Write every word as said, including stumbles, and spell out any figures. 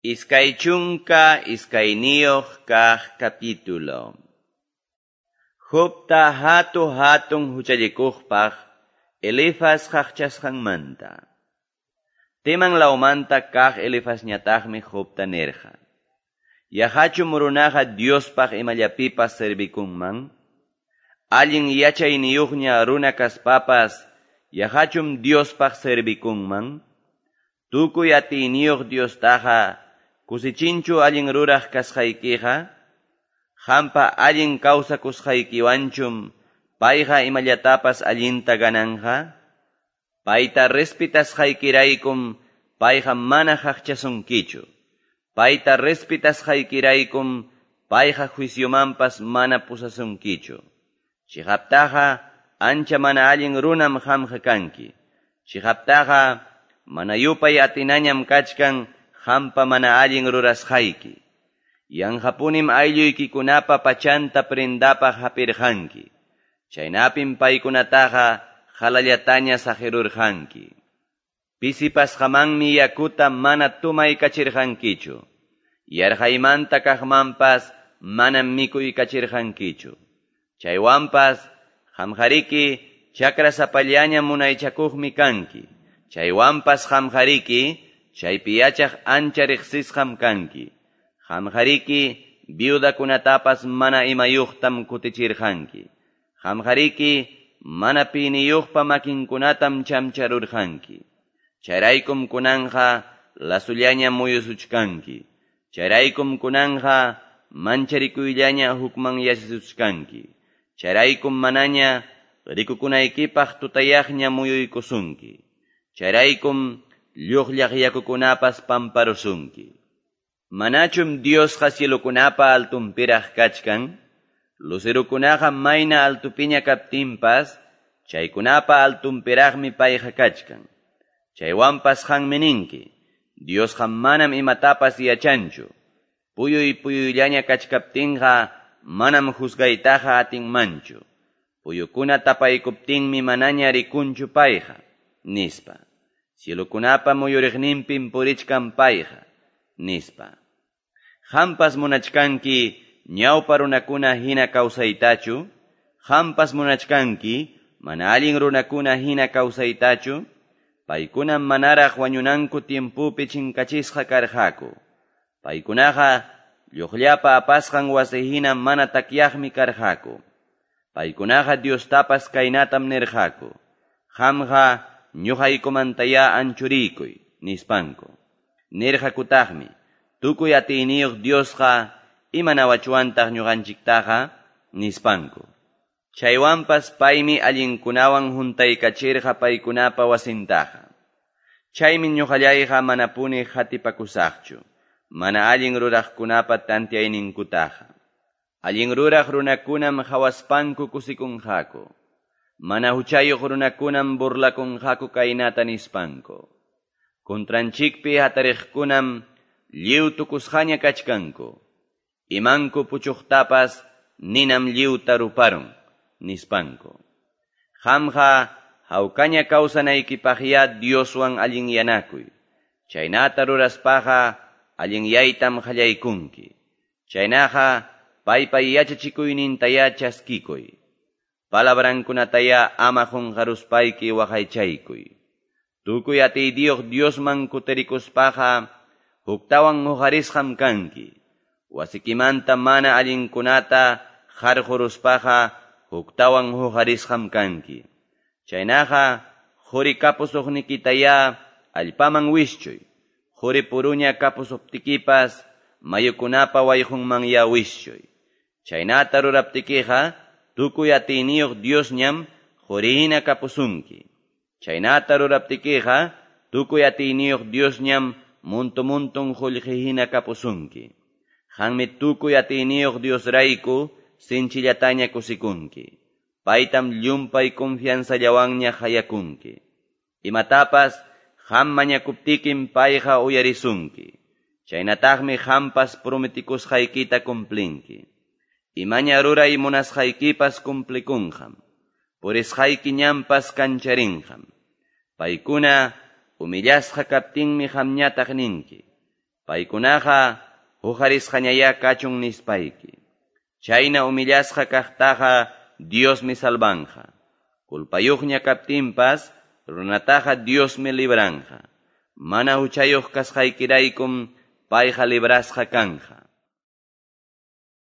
Iskay chunka iskayniyuq kaq capítulo. Jobta hatu hatun huchallikuqpaq Elifaz qaqchasqanmanta. Teman lawmanta kaq Elifazñataqmi Jobta nirqa. Yaqachum runaqa Diospaq imallapipas servikunman? Allin yachayniyuqña runa kaspapas yaqachum Diospaq servikunman? Tukuy atiyniyuq Diostaqa kusichinchu allin ruraq kasqaykiqa? Qampa allin kawsakusqaykiwanchum payqa imallatapas allinta gananja? Payta respetasqaykiraykum payqa mana qaqchasunkichu. Payta respetasqaykiraykum payqa juiciomanpas mana pusasunkichu. Chiqaptaqa ancha mana allin runam qamqa kanki. Chiqaptaqa mana yupay atinañam kachkan qampa mana allin rurasqayki. Yanqapunim aylluykikunapa pachanta prendapaq hapirqanki. Chaynapim paykunataqa qalallataña saqirurqanki. Pisipasqamanmi yakuta mana tumaykachirqankichu. Yarqaymanta kaqmanpas manam mikuykachirqankichu. Chaywanpas qamqariki chakrasapallaña munaychakuqmi kanki. Chaywanpas qamqariki chaypi yachaq ancha riqsisqam kanki. Qamqariki viudakunatapas mana imayuqtam kutichirqanki. Qamqariki mana piniyuqpa makinkunatam chamcharurqanki. Chayraykum kunanja lasullaña muyusuchkanki. Chayraykum kunanja mancharikuyllaña hukman yachasuchkanki. Chayraykum manaña rikukunaykipaq tutayaqña muyuykusunki. Chayraykum lluqllaq yakukunapas pamparusunki. Manachum Diosqa cielokunapa altunpiraq kachkan? Lucerukunaqa mayna altupiña kaptinpas, chaykunapa altunpiraqmi payqa kachkan. Chaywanpas qanmi ninki, Diosqa manam imatapas yachanchu. Puyuy puyuyllaña kachkaptinqa manam juzgaytaqa atinmanchu. Puyukuna tapaykuptinmi manaña rikunchu payqa, nispa. Cielokunapa muyuriqninpim purichkan payqa, nispa. Qampas munachkanki ñawpa runakuna hina kawsaytachu? Qampas munachkanki mana allin runakuna hina kawsaytachu? Paykunam manaraq wañunanku tiempupi chinkachisqa karqaku. Paykunaqa lluqllapa apasqan wasi hina mana takyaqmi karqaku. Paykunaqa Diostapas kaynatam nirqaku. Qamqa ñuqaykumantayá anchurikuy, nispanku. Nirqakutaqmi, tukuy atiyniyuq Diosqa imanawachwantaq ñuqanchiktaqa, nispanku. Chaywanpas paymi allinkunawan huntaykachirqa paykunapa wasintaqa. Chaymi ñuqallayqa manapuni hatipakusaqchu, mana allin ruraqkunapa tantiayninkutaqa. Allin ruraq runakunam hawaspanku kusikunqaku. Mana huchayuq runakunam burlakunqaku kaynata nispanku. Contranchikpi hatariqkunam lliw tukusqaña kachkanku. Imanku puchuqtapas ninam lliwta ruparun, nispanku. Qamqa hawkaña kawsanaykipaqya Dioswan allinyanakuy. Chaynata ruraspaqa allinyaytam qallaykunki. Chaynaqa paypa yachachikuynintayá chaskikuy. Palabrankunatayá ama qunqaruspayki waqaychaykuy. Tukuy atiyniyuq Diosman kutirikuspaqa huktawan huqarisqam kanki. Wasikimanta mana allinkunata qarquruspaqa huktawan huqarisqam kanki. Chaynaqa quri kapusuqnikitayá allpaman wischuy. Quri puruña kapusuptikipas mayukunapa wayqunmanyá wischuy. Chaynata ruraptikiqa tukuy atiyniyuq Diosñam qurihina kapusunki. Chaynata ruraptikiqa tukuy atiyniyuq Diosñam muntu-muntun qullqihina kapusunki. Qanmi tukuy atiyniyuq Diosrayku sinchillataña kusikunki. Paytam llumpay confianzallawanña hayakunki. Imatapas qam mañakuptikim payqa uyarisunki. Chaynataqmi qampas prometikusqaykita cumplinki. Imaña ruray munasqaykipas cumplikunqam. Purisqayki ñanpas kancharinqam. Paykuna humillasqa kaptinmi qamñataq ninki. Paykunaqa huqarisqañayá kachun nispayki. Chayna humillasqa kaqtaqa Diosmi salvanqa. Culpayuqña kaptinpas runataqa Diosmi libranqa. Mana huchayuq kasqaykiraykum payqa librasqa kanqa.